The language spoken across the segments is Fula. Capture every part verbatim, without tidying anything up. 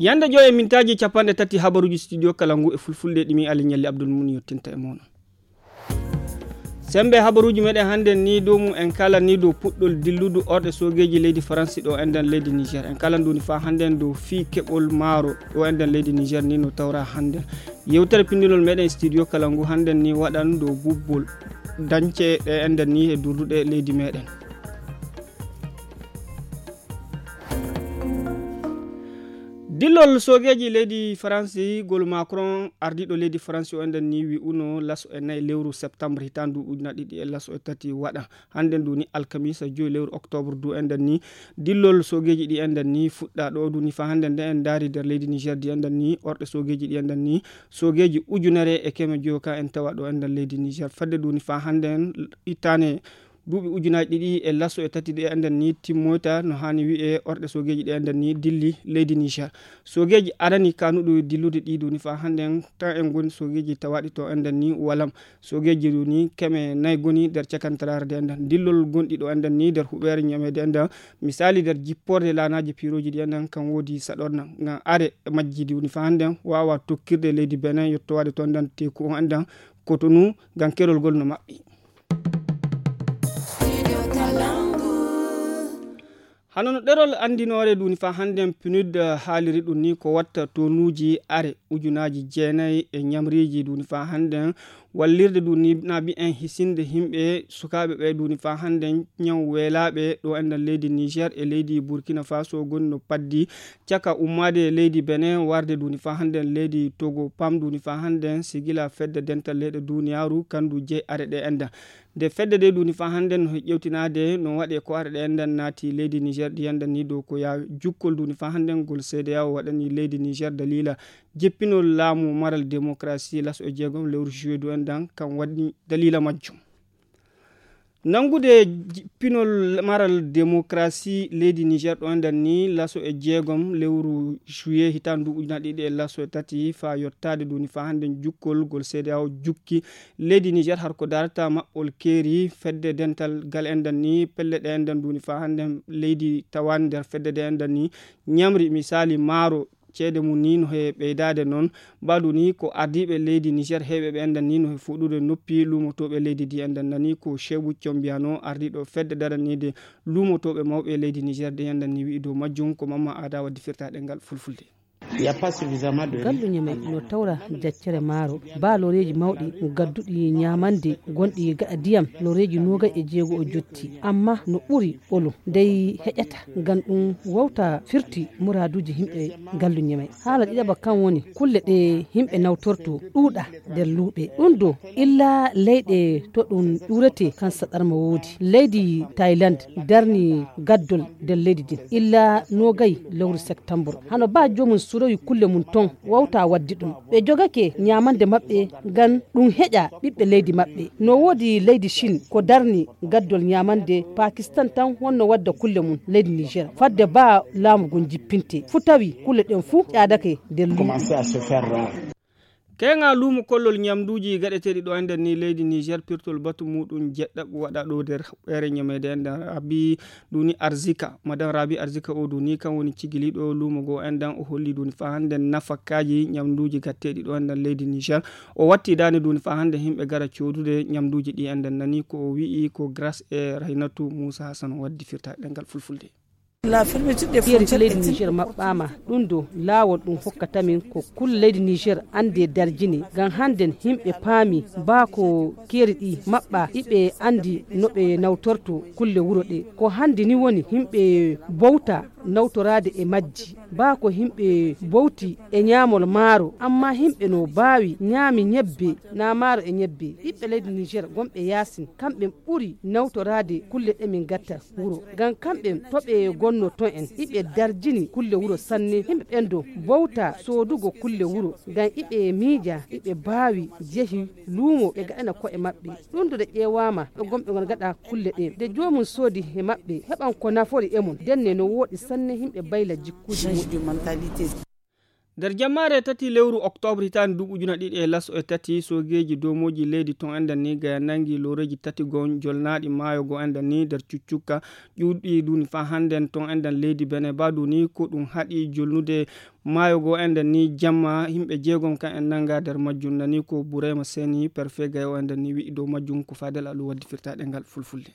Ñande joy e mintaaji capanɗe tati habaruuji studio kala ngu e fulfulde ɗi mi Ali Ñalli Abdul Mun yottinta e mon. Sembe habaruuji meɗen hannden ni dow mum en kala ni dow puɗɗol dilludu orɗe soogeeji leydi Faransi ɗo enɗen leydi Niger. En kala nduni faa hannden dow fii keɓol maaro ɗo enɗen leydi Niger ni no tawra hannden. Yewtere pinndinol meɗen studio kala ngu hannden ni waɗan dow bubbol dañce ɗe enɗen ni e durduɗe leydi meɗen. Dillol soogeeji leydi Faransi, gol Macron, ardiiɗo leydi Faransi o enɗen ni wi'uno laso e nayi lewru septembre hitaande ujunaaji ɗiɗi e laso e tati waɗa. Hannden nduni alkamisa joyi lewru octobre du enɗen ni dillol soogeeji ɗi enɗen ni fuɗɗa ɗo duni faa hannden nde en ndaari nder leydi Niger di enɗen ni orɗe soogeeji ɗi enɗen ni soogeeji ujunere e keme joyo ka en tawa ɗo enɗen leydi Niger. Fedde duni faa hannden ittane duuɓi ujunaaji ɗiɗi e laso e tati ɗi enɗen ni timmoyta no haani wi'e orɗe soogeeji ɗi enɗen ni dilli leydi Niger. Soogeeji arani kanuɗo dillude ɗi duni faa hannden tan en ngoni soogeeji tawaɗi to enɗen ni walam. Soogeeji duni keme nayi goni nder cakantaraare de enɗen. Dillol gonɗi ɗo enɗen ni nder huɓeere ñameede enɗen. Misali nder jipporde laanaaji piirooji ɗi enɗen kan woodi saɗorna. Ngam are majji duni faa hannden waawa tokkirde leydi Benin yottowaade to enɗen teeku o enɗen Cotonou ngam kerol ngol no maɓɓi. Hano no ɗerol anndinoore duni faa hannden pinud haaliri ɗum ni ko watta tonuuji are ujunaaji jeenayi e ñamriiji duni faa hannden wallirde duni naɓi en hisinde yimɓe sukaaɓe ɓe duni faa hannden ñaw weelaaɓe ɗo enɗen leydi Niger e leydi Burkina Faso goni no paddi caka ummaade leydi Benin warde duni faa hannden leydi Togo pam duni faa hannden sigila fedde dental leyɗe duniyaaru kandu jeyi are ɗe enɗen. Nde fedde de duni faa hannden no ƴewtinaade no waɗe ko are ɗe enɗen naati leydi Niger ɗi enɗen ni dow ko yaa jukkol duni faa hannden ngol C D A O waɗani leydi Niger dalila jippinol laamu maral démocratie laso e jeegom lewru juillet du enɗen kan waɗi dalila majjum. Nanngude jippinol maral démocratie leydi Niger ɗo enɗen ni laso e jeegom lewru juillet hitaande ujunaaji ɗiɗi e laso e tati faa yottaade duni faa hannden jukkol ngol C D A O jukki leydi Niger har ko darata maɓɓol keeri fedde dental gal enɗen ni pelle ɗe enɗen duni faa hannden leydi tawaani nder fedde de enɗen ni ñamri misali maaro ceede mum ni no he ɓeydaade noon. Mbaɗu ni ko ardiiɓe leydi Niger heewɓe ɓe enɗen ni no he fuɗude noppi luumotooɓe leydi ndi enɗen nani ko Shebu Combiyano ardiiɗo fedde daraniide luumotooɓe mawɓe leydi Niger ɗi enɗen ni wi'i dow majjum ko Mamma Aada waddi firtaade ngal fulfulde. Gallu ñeme no tawra jaccere maaro ba loreeji mawɗi gadduɗi ñaamande gonɗi gaɗa diyam loreeji noogay e jeego o jotti amma no ɓuri ɓolo dey heƴata ngam ɗum wawta firti muraaduuji yimɓe ngallu ñeme. Haala ɗiɗaɓa kan woni kulle ɗe yimɓe nawtorto ɗuuɗa nder luuɓe ɗum do illa leyɗe to ɗum ɗuurete kan saɗarma woodi leydi Thailand darni gaddol nder leydi din illa noogay lewru septembre hano ba joomum surowi kulle mum ton wawta waddi ɗum ɓe jogake ñaamande maɓɓe ngam ɗum heƴa ɓiɓɓe leydi maɓɓe. No woodi leydi Chine ko darni gaddol ñaamande Pakistan tan wonno wadda kulle mum leydi Niger fadde ba laamu ngun jippinte. Fu tawi kulle ɗen fu ƴaadake nder luumo. Keŋa luumo kollol ñamduuji gaɗeteeɗi ɗo enɗen ni leydi Niger pirtol batu muɗum jeɗɗaɓo waɗa ɗo nder huɓɓeere ñameede enɗen Rabi Duni Arzika. Madame Rabi Arzika o duni kan woni cigiliiɗo luumo goo enɗen o holli duni faa hannde nafakaaji ñamduuji gatteeɗi ɗo enɗen leydi Niger. O watti daande duni faa hannde yimɓe gara coodude ñamduuji ɗi enɗen nani ko o wi'i ko grâce e Raynatu Muusa Hasan waddi firtaade ɗemngal fulfulde. Fiyeri leydi Niger maɓɓaama ɗum do laawol ɗum hokkata min ko kulle leydi Niger anndi e darjini ngam hannden yimɓe paami baa ko keeri ɗi maɓɓa iɓe anndi no ɓe nawtorto kulle wuro ɗe ko hanndi ni woni yimɓe bowta nawtoraade e majji baa ko yimɓe bowti e ñaamol maaro amma yimɓe no baawi ñaami ñebbe na maaro e ñebbe ɓiɓɓe leydi Niger gonɓe yaasin kamɓe ɓuri nawtoraade kulle ɗe min gatta wuro ngam kamɓe to ɓe gonno ton en iɓe darjini kulle wuro sanne yimɓe ɓen do bowta soodugo kulle wuro ngam iɓe miija iɓe baawi jehi luumo ɓe gaɗana ko'e maɓɓe ɗum do ɗe ƴeewaama ɗo gonɓe gon gaɗa kulle ɗe nde joomum soodi he maɓɓe heɓan ko nafori e mum ndenne no wooɗi sanne yimɓe bayla jikkuuji muɓɓe. Nder jammaare tati lewru oktoobre hitaande duuɓi ujuna ɗiɗi e laso e tati, soogeeji doomooji leydi ton enɗan ni gaya nangi looreeji tati gon jolnaaɗi maayo goo enɗan ni nder cuccukka ƴuuɗɗi duuni faa hannden ton enɗan leydi Bene. Baa duuni ko ɗum haɗi jolnude maayo goo enɗan ni jamma, yimɓe jeegom kan en nanga nder majjum. Nani ko Burema Seni, perfe gaya o enɗan ni wi'i dow majjum. Ko Fadel Alu waddi firtaaɗe ngal fulfulde.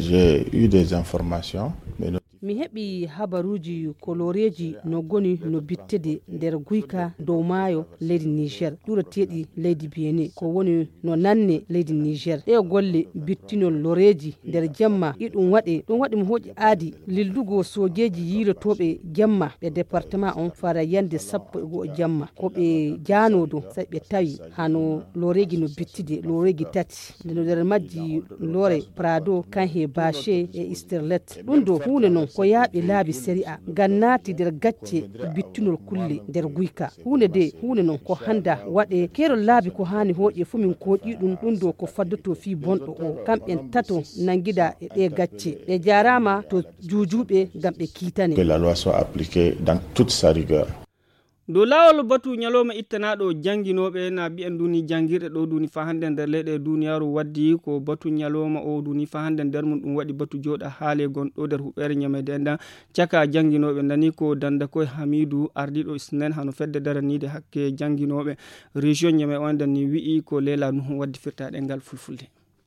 J'ai eu des informations, mais non. Mi heɓi habaruuji ko looreeji no goni no bittede nder guyka dow maayo leydi Niger, ƴureteeɗi leydi Benin, ko woni no nanne leydi Niger. Ɗee golle bittinol looreeji nder jamma, iɗum waɗe, ɗum waɗi mo hooƴi aadi lildugo soojeeji yiilotooɓe jamma ɓe departement on fara yande sappo e go'o jamma. Ko ɓe jaanoodo, sai ɓe tawi hano looreeji no bittide, looreeji tati. Nde no nder majji loore Prado, Kanhe Bache e Sterlet. Ɗum ɗo huunde non ko yaaɓi laabi sariya, ngam naati nder gacce bittunol kulle nder guyka. Huunde de, huunde non ko handa waɗe, keerol laabi ko haani hooƴe fu min kooƴi ɗum, ɗum ɗo ko faddoto fii bonɗo o. Kamɓen tato nangida e ɗee gacce. Ɓe jaaraama to juujuuɓe ngam ɓe kiitane. Que la loi soit appliquée dans toute sa rigueur. Dow laawol batu ñalooma ittanaaɗo jannginooɓe na mbiyen duuni janngirɗe ɗo duuni faa hannde nder leyɗe duuniyaaru waddi ko batu ñalooma o duuni faa hannde nder mum ɗum waɗi batu jooɗa haale gonɗo nder huɓeere ñameede enɗan caka jannginooɓe. Nani ko Dannda Koy Hamiidu, ardiiɗo snen hano fedde daraniide hakke jannginooɓe région Ñame o enɗan ni wi'i ko Leela Nuhu waddi firtaaɗe ngal fulfulde.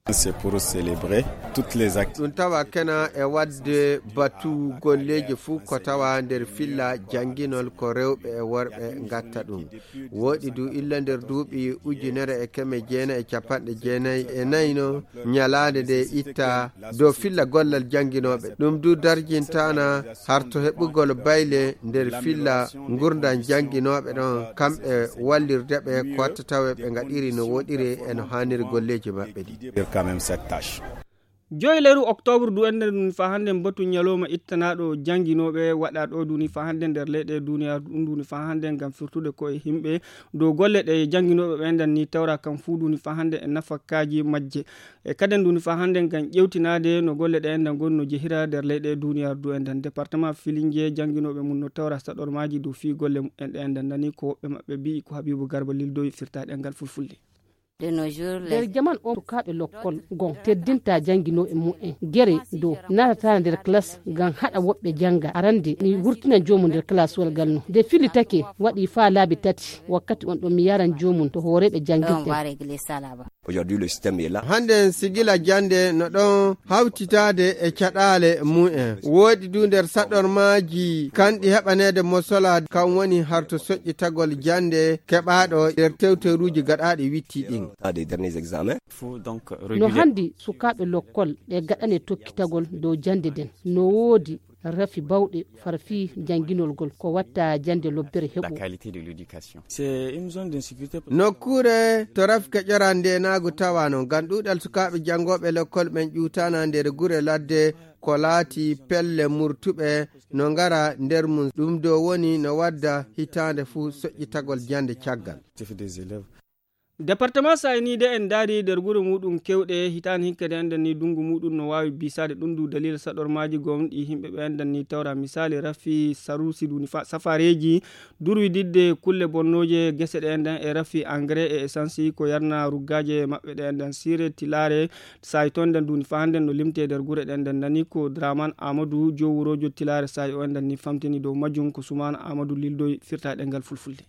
C'est pour célébrer toutes les actions. Ɗum tawa kena e waɗde batu golleeji fuu ko tawa nder filla jannginol ko rewɓe e worɓe ngatta ɗum. Wooɗi du illa nder duuɓi ujunere e keme jeenayi e capanɗe jeenayi e nayi no ñalaande nde itta dow filla gollal jannginooɓe. Ɗum du darjintaana harto heɓugol bayle nder filla ngurndan jannginooɓe ɗon, kamɓe wallirde ɓe ko watta tawe ɓe ngaɗiri no woɗiri e no haaniri golleeji maɓɓe ɗi. Dire quand même cette tâche. Joyi leru oktoobre du enɗen ɗum faa hannde mbatu ñalooma ittanaaɗo jannginooɓe waɗa ɗo duni faa hannde nder leyɗe duniyaaru ɗum duni faa hannde ngam firtude ko e yimɓe dow golle ɗe jannginooɓe ɓe enɗan ni tawra kam fuu duni faa hannde e nafakaaji majje. E kaden duni faa hannde ngam ƴewtinaade no golle ɗe enɗan ngoni no jehira nder leyɗe duniyaaru du enɗan. Département Filinge jannginooɓe mum no tawra saɗormaaji dow fii golle mumen ɗe enɗan nani ko woɓɓe maɓɓe mbi'i ko Habiibu Garba lildoyi firtaaɗe ngal fulfulde. Nder jaman on sukaaɓe lokkol gon teddinta jannginooɓe mumen gere dow naatata nder klas ngam haɗa woɓɓe jannga. Arande mi wurtina joomum nder klaswal ngal no nde fillitake waɗi faa laabi tati. Wakkati on ɗon mi yaran joomum to hooreeɓe jannginɓe. Aujourd'hui le système est là. Hannden sigila jannde no ɗon hawtitaade e caɗaale mumen. Wooɗi du nder saɗormaaji kanɗi heɓaneede mosola kam woni harto soƴƴitagol jannde keɓaaɗo nder tewteruuji gaɗaaɗi witti ɗin. Des derniers examens. No hanndi sukaaɓe lokkol ɓe gaɗane tokkitagol dow jannde nden. No woodi rafi bawɗe fara fii jannginol ngol ko watta jannde lobbere heɓo. Nokkuure to rafi keƴoran ndeenaagu tawaano ngam ɗuuɗal sukaaɓe janngooɓe lekkol ɓen ƴuutaana nder gure ladde ko laati pelle murtuɓe no ngara nder mum. Ɗum do woni no wadda hitaande fuu soƴƴitagol jannde caggal. Departement sayniide en ndaari nder gure muuɗum kewɗe hitaande hinkede enɗen ni dunngu muuɗum no waawi biisaade ɗum du daliila saɗormaaji gom ɗi yimɓe ɓe enɗen ni tawra misaali rafi saruusi duni fa- safareeji durwididde kulle bonnooje gese ɗe enɗen e rafi engrais e essence ko yarna ruggaaje maɓɓe ɗe enɗen siire tilaare saayi toon nden duni fa hannden no limtee nder gure ɗen nden nani ko Draman Amadou joowuroojo tilaare saayi o enɗen ni famtini dow majjum ko Sumaana Amadou lildoy firtaaɗe ngal fulfulde.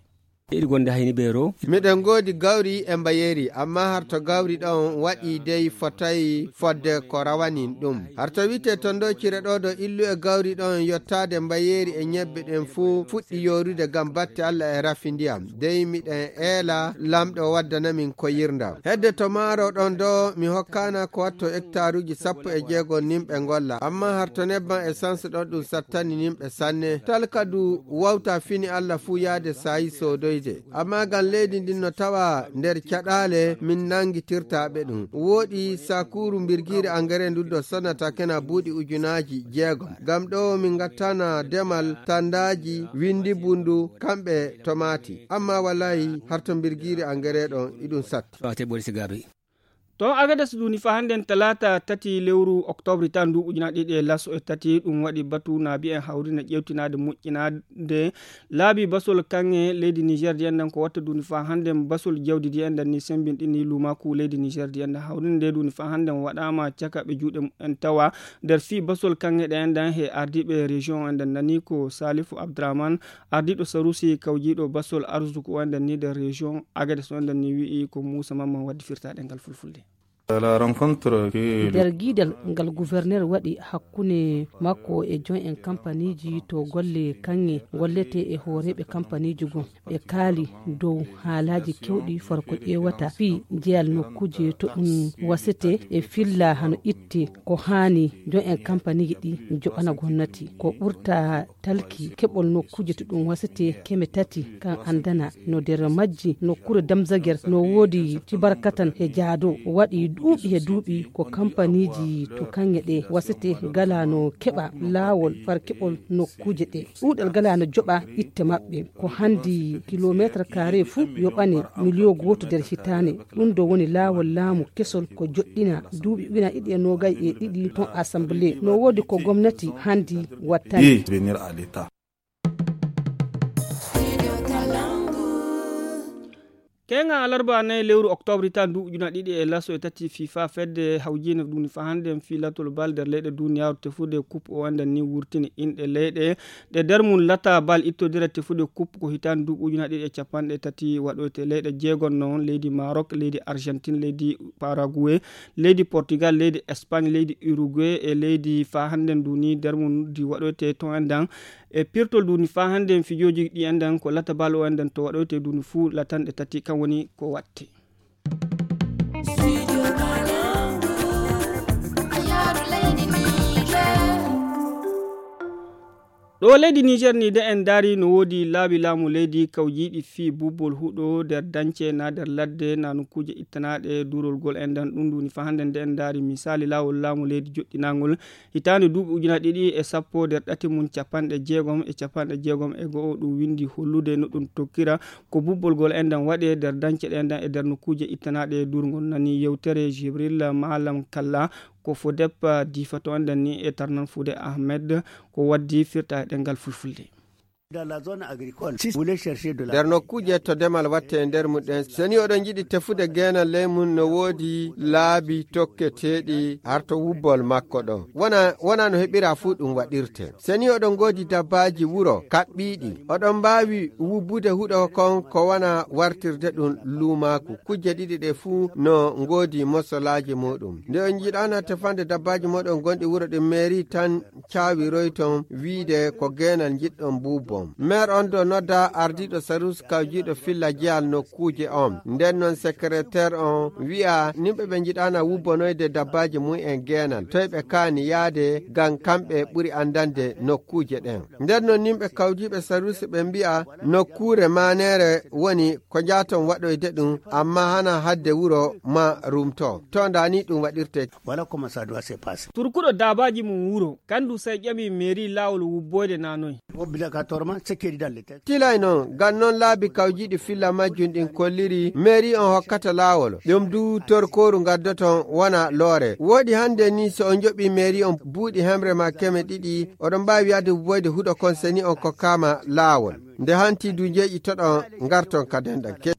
Eɗi gonde hayni ɓeero. Miɗen ngoodi gawri e mbayeeri, amma harto gawri ɗon waɗi dey fotay fodde ko rawanin ɗum. Harto wi'etee ton ɗo cire ɗo ɗo illu e gawri ɗon yottaade mbayeeri e ñebbe ɗen fuu fuɗɗi yoorude ngam batte Alla e rafi ndiyam. Dey miɗen eela Lamɗo waddana min koyirndam. Hedde to maaro ɗon ɗo mi hokkaana ko watto ektaaruuji sappo e jeego nimɓe ngolla, amma harto nebban essence ɗon ɗum sattani nimɓe sanne. Talka du wawta fini Alla fuu yaade saayi soodoyde. Amma ngam leydi ndin no tawa nder caɗaale min nanngitirta ɓe ɗum. Wooɗi sakuuru mbirgiiri angare ndun do sonnata kena buuɗi ujunaaji jeegom. Ngam ɗo min ngattana demal tandaaji windi bundu kamɓe tomaati. Amma walaayi harto mbirgiiri angare ɗon iɗum satti. Ɓawte ɓori sigaaɓe. To Agades duni fa hannden talaata tati lewru oktoobre tan ndu ujunaaɗe ɗiɗi e laso e tati, ɗum waɗi batu naabi en hawrina ƴeewtinaade moƴƴinaade laabi basol kaŋŋe leydi Niger di enɗan ko watta duni fa hannden basol jawdi di enɗan ni sembinɗini luumaaku leydi Niger di enɗan hawrina nde duni fa hannden waɗaama caka ɓe juuɗe mumen tawa nder fii basol kaŋŋe ɗe enɗan he ardiiɓe région enɗan nani ko Salifu Abdraman ardiiɗo Sarusi kawjiiɗo basol arzuku o enɗan ni nder région Agades o enɗan ni wi'i ko Muusa Mamman waddi firtaaɗe ngal fulfulde. La rencontre que le Nder giidal ngal gouverneur waɗi hakkunde makko e joom en kampaniiji to golle kaŋŋe golletee e hooreeɓe kampaniiji goo, ɓe kaali dow haalaaji keewɗi faro ko ƴeewata fii jeyal nokkuuje to ɗum wasetee e filla hano itte ko haani joom en kampaniiji ɗi joɓana gomnati. Ko ɓurta talki keɓol nokkuuje to ɗum wasetee keme tati kan anndana no nder majji nokkuure Damzager no woodi cibarkatan he jaado waɗi duuɓi he duuɓi ko kampaniiji to kaŋŋe ɗe wasetee galano keɓa laawol far keɓol nokkuuje ɗe. Ɗuuɗal galano joɓa itte maɓɓe ko hanndi kilomeetre kaare fuu yoɓane miliyo gooto nder hitaande. Ɗum ɗo woni laawol laamu kesol ko joɗɗina duuɓi ujunaaji ɗiɗi e noogay e ɗiɗi ton assemblée no woodi ko gomnati hanndi wattani. Keŋa alarba nayi lewru oktoobre tan ndu ujuna ɗiɗi e laso e tati fifa fedde hawjine ɗum fa hannde en filatol bal nder leyɗe duniyaaru tefude coupe o anndan ni wurtini inɗe leyɗe ɗe nder mum lata bal ittodira tefude coupe ko hitaande ndu ujuna ɗiɗi e capanɗe tati waɗoyte leyɗe jeegon noon leydi Maroc, leydi Argentine, leydi Paraguay, leydi Portugal, leydi Espagne, leydi Uruguay e leydi fa hannden ndu ni nder mum ndi waɗoyte ton anndan e pirtol duni fa hannden fijooji ɗi anndan ko lata bal o anndan to waɗoyte duni fuu latanɗe tati kan woni ko watte. Ɗo leydi Niger ni de en daari no woodi laabi laamu leydi kawjiiɗi fii bubbol huɗo nder dance na nder ladde na nokkuuje ittanaaɗe durolgol en dan ɗum ɗum fa hannden de en daari misaali laawol laamu leydi joɗɗinaangol hitaande duuɓi ujuna ɗiɗi e sappo nder ɗati mum capanɗe jeegom e capanɗe jeegom e go'o ɗum windi hollude no ɗum tokkira ko bubbolgol en dan waɗe nder dance ɗen dan e nder nokkuuje ittanaaɗe durngol nani yewtere Jibril Malam Kalla ko fodep diifa to enɗen ni e tarnan fuude Ahmed ko waddi firta e ɗengal fulfulde. Nder nokkuuje to demal watte e nder muɗen seni oɗon jiɗi tefude geenal ley mum no woodi laabi tokketeeɗi har to wubbol makko ɗo wona wona no heɓira fuu ɗum waɗirte seni oɗon ngoodi dabbaaji wuro kaɓɓiiɗi oɗon mbaawi wubbude huɗo kon ko wona wartirde ɗum luumaaku kujje ɗiɗi ɗe fuu no ngoodi mosolaaji muɗum nde on njiɗaana tefande dabbaaji moɗon gonɗi wuro ɗi meeri tan caawiroyton wiide ko geenal njiɗɗon buubbon maire on do nodda ardiiɗo sarus kawjiiɗo filla jeyal nokkuuje on nden noon secrétaire on wi'a nimɓe ɓe njiɗaana wubbonoyde dabbaaji mum en geenal toy ɓe kaani yaade ngam kamɓe ɓuri anndande nokkuuje ɗen nden noon nimɓe kawjiiɓe sarus ɓe mbi'a nokkuure maaneere woni ko njaaton waɗoyde ɗum amma hana hadde wuro ma rumto to nda ni ɗum waɗirte. Voilà comment ça doit se passer. Turkuɗo daabaaji mum wuro kandu sey ƴami mairie laawol wubboyde na noy. Obligatoire sekkedi dalle te. Tilay noon ngam noon laabi kawjiiɗi filla majjum ɗin kolliri mairie on hokkata laawol ɗum du torkooru ngaddoton wona loore woodi hannde ni so on joɓi mairie on buuɗi hemre ma keme ɗiɗi oɗon mbaawi yaade wubboyde huɗo kon seni on kokkaama laawol nde hanti du njeeƴi toɗon ngarton ka denɗan ke.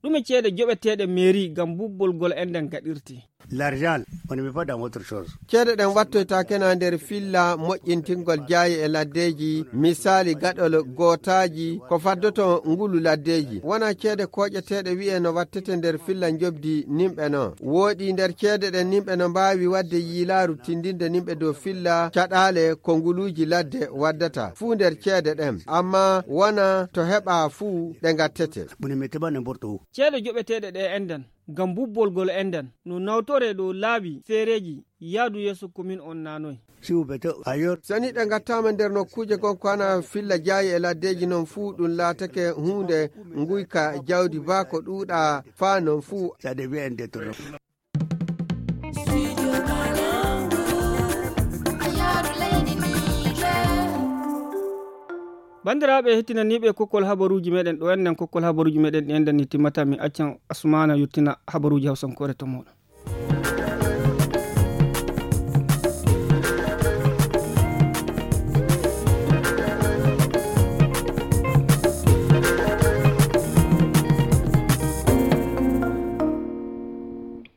Ɗume ceede joɓeteeɗe mairie ngam bubbolgol enɗan gaɗirte. L'argent on ne met pas dans autre chose. Ceede ɗen wattoytaake na nder filla moƴƴintingol jaaye e laddeeji misaali gaɗol gootaaji ko faddoto ngulu laddeeji wona ceede kooƴeteeɗe wi'e no wattete nder filla njobdi nimɓe no wooɗi nder ceede ɗen nimɓe no mbaawi waɗde yiilaaru tindinde nimɓe dow filla caɗaale ko nguluuji ladde waddata fuu nder ceede ɗen amma wona to heɓa fuu ɗe ngattete. Ceede joɓeteeɗe ɗe enɗan ngam bubbolgol enɗan no nawtore ɗo laabi feereeji yaadu yeeso komin on nanoy. Seni ɗe ngattaama nder nokkuuje gonko hana filla jaayi e laddeeji noon fuu ɗum laatake huunde nguyka jawdi baa ko ɗuuɗa faa noon fuu. Banndiraaɓe heɗtinaniiɓe kokkol habaruuji meɗen, ɗo enɗen kokkol habaruuji meɗen ɗi enɗen ni timmata, mi accan Asmaana yottina habaruuji hawsankoore to mooɗon.